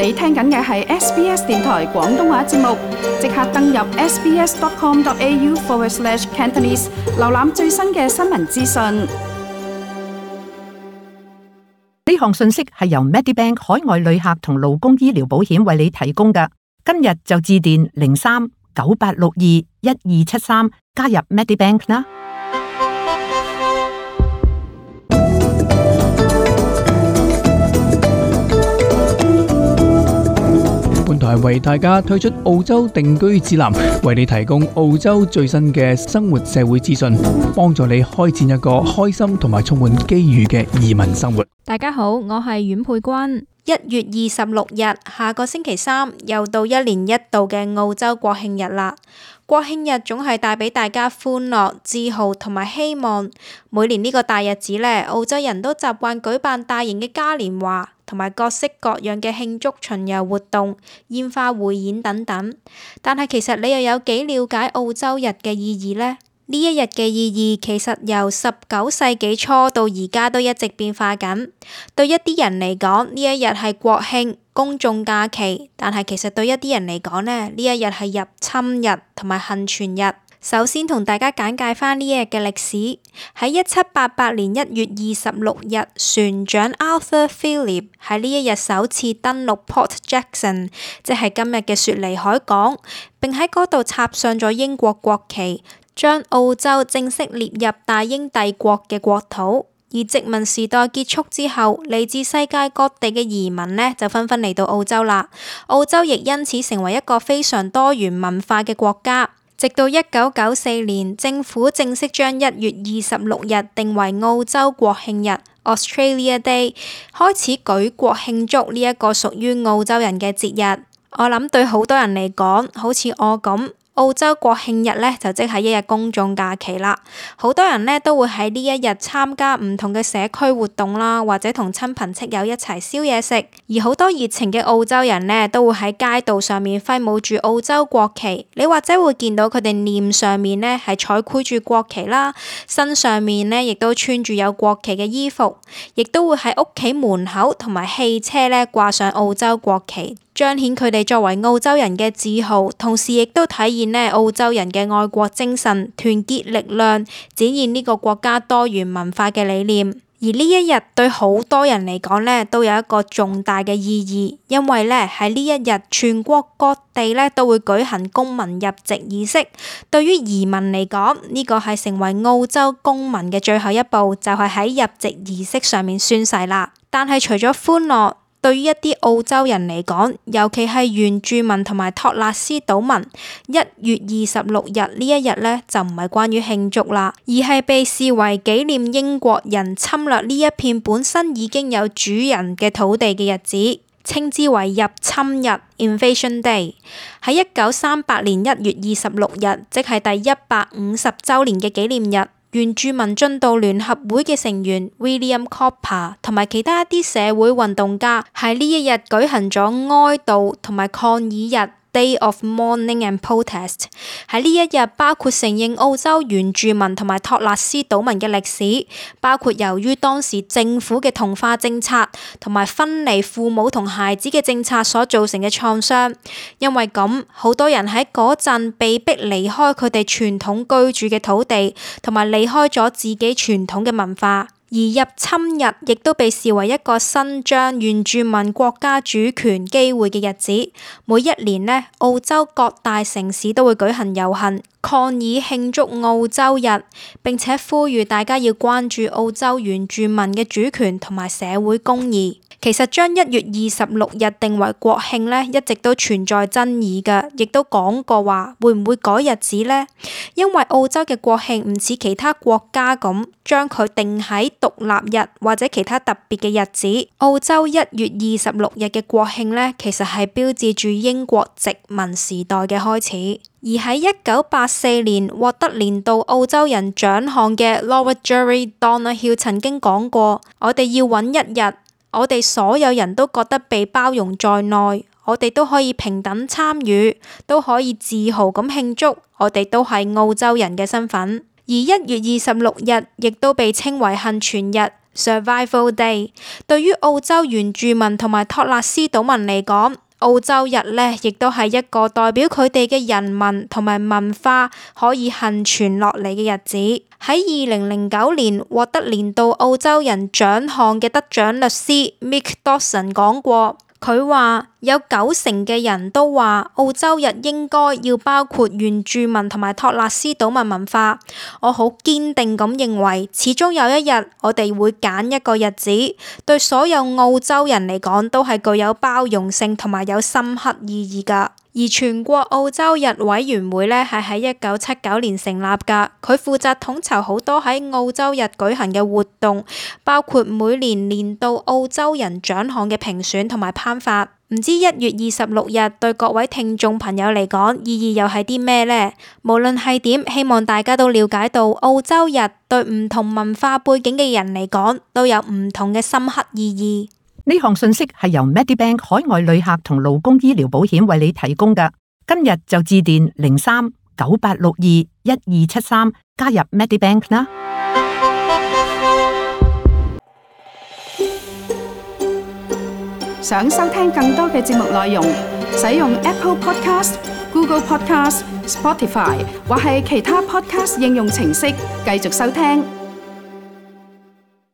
你聽緊嘅係 SBS 電台廣東話節目，即刻登入 sbs.com.au/Cantonese， 瀏覽最新嘅新聞資訊。呢項信息係由 Medibank 海外旅客同勞工醫療保險為你提供嘅。今日就致電03-9862-1273加入 Medibank 啦。本台為大家推出澳洲定居指南，為你提供澳洲最新嘅生活社會資訊，幫助你開展一個開心同埋充滿機遇嘅移民生活。大家好，我係阮佩君。1月26日，下個星期三又到一年一度嘅澳洲國慶日啦。國慶日總係帶俾大家歡樂、自豪同埋希望。每年呢個大日子呢，澳洲人都習慣舉辦大型嘅嘉年華，同埋各式各樣嘅慶祝巡遊活動、煙花匯演等等。但係其實你又有幾了解澳洲日嘅意義呢？呢一日嘅意義其實由19世紀初到而家都一直變化緊。對一啲人嚟講，呢一日係國慶、公眾假期，但係其實對一啲人嚟講呢一日係入侵日同埋幸存日。首先同大家簡介返呢一日嘅歷史。喺1788年1月26日，船長 Arthur Phillip 喺呢一日首次登陸 Port Jackson， 即係今日嘅雪梨海港，並喺嗰度插上咗英國國旗，將澳洲正式列入大英帝國嘅國土。而殖民時代結束之後，嚟自世界各地嘅移民呢就紛紛嚟到澳洲啦。澳洲亦因此成為一個非常多元文化嘅國家。直到1994年，政府正式將1月26日定為澳洲國慶日 Australia Day， 開始舉國慶祝呢一個屬於澳洲人嘅節日。我諗對好多人嚟講，好似我咁，澳洲國慶日呢就即係一日公眾假期啦。好多人呢都會喺呢一日參加唔同嘅社區活動啦，或者同親朋戚友一齊燒嘢食。而好多熱情嘅澳洲人呢都會喺街道上面揮舞住澳洲國旗。你或者會見到佢哋臉上面呢係彩繪住國旗啦，身上面呢亦都穿住有國旗嘅衣服，亦都會喺屋企門口同埋汽車呢掛上澳洲國旗，彰顯佢哋作為澳洲人嘅自豪，同時亦都體現澳洲人嘅愛國精神、團結力量，展現呢個國家多元文化嘅理念。而呢一日對好多人嚟講呢都有一個重大嘅意義，因為呢喺呢一日全國各地呢都會舉行公民入籍儀式。對於移民嚟講，呢個係成為澳洲公民嘅最後一步，就係喺入籍儀式上面宣誓啦。但係除咗歡樂，對於一啲澳洲人嚟講，尤其係原住民同埋托勒斯島民，1月26日呢一日呢就唔係關於慶祝啦，而係被視為紀念英國人侵略呢一片本身已經有主人嘅土地嘅日子，稱之為入侵日 Invasion Day。喺1938年1月26日，即係第150週年嘅紀念日，原住民進道聯合會嘅成員 William Cooper 同埋其他一啲社會運動家喺呢一日舉行咗哀悼同埋抗議日 Day of Mourning and Protest。 喺呢一日包括承認澳洲原住民同埋托勒斯島民嘅歷史，包括由於當時政府嘅同化政策同埋分離父母同孩子嘅政策所造成嘅創傷。因為咁，好多人喺嗰陣被逼離開佢哋傳統居住嘅土地，同埋離開咗自己傳統嘅文化。而入侵日亦都被視為一個伸張原住民國家主權機會嘅日子。每一年呢，澳洲各大城市都會舉行遊行，抗議慶祝澳洲日，並且呼籲大家要關注澳洲原住民嘅主權同埋社會公義。其實將1月26日定為國慶呢，一直都存在爭議嘅，亦都講過話會唔會改日子呢？因為澳洲嘅國慶唔似其他國家咁將佢定喺獨立日或者其他特別嘅日子。澳洲1月26日嘅國慶呢，其實係標誌住英國殖民時代嘅開始。而喺1984年獲得年度澳洲人獎項嘅 Laura Jerry Donoghue 曾經講過：我哋要揾一日，我哋所有人都覺得被包容在內，我哋都可以平等參與，都可以自豪咁慶祝，我哋都係澳洲人嘅身份。而1月26日亦都被稱為幸存日 Survival Day。對於澳洲原住民同埋托勒斯島民嚟講，澳洲日呢亦都係一個代表佢哋嘅人民同埋文化可以幸存落嚟嘅日子。喺2009年獲得年度澳洲人獎項嘅得獎律師 Mick Dawson 講過，佢話有90%嘅人都話澳洲日應該要包括原住民同埋托勒斯島民文化。我好堅定咁認為，始終有一日我哋會揀一個日子，對所有澳洲人嚟講都係具有包容性同埋有深刻意義㗎。而全國澳洲日委員會呢係喺1979年成立㗎，佢負責統籌好多喺澳洲日舉行嘅活動，包括每年年度澳洲人獎項嘅評選同埋頒發。唔知1月26日對各位聽眾朋友嚟講意義又係啲咩呢？無論係點，希望大家都了解到澳洲日對唔同文化背景嘅人嚟講都有唔同嘅深刻意義。呢項信息係由 Medibank 海外旅客同勞工醫療保險為你提供嘅。今日就致電03-9862-1273加入 Medibank 啦。想收聽更多嘅節目內容，使用 Apple Podcast、Google Podcast、Spotify 或係其他 Podcast 應用程式繼續收聽。